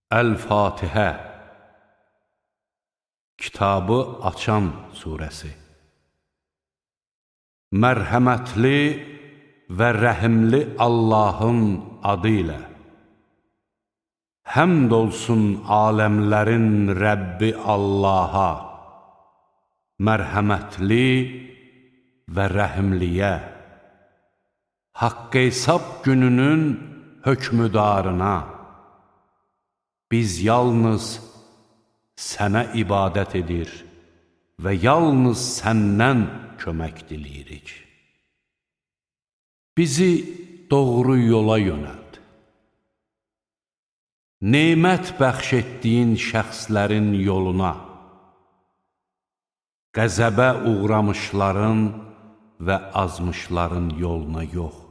Əl-Fatihə Kitabı açan surəsi. Mərhəmətli və rəhimli Allahın adı ilə. Həmd olsun aləmlərin Rəbbi Allaha, mərhəmətli və rəhimliyə, haqq hesab gününün hökmüdarına. Biz yalnız sənə ibadət edir və yalnız səndən kömək diləyirik. Bizi doğru yola yönəld. Nemət bəxş etdiyin şəxslərin yoluna, qəzəbə uğramışların və azmışların yoluna yox.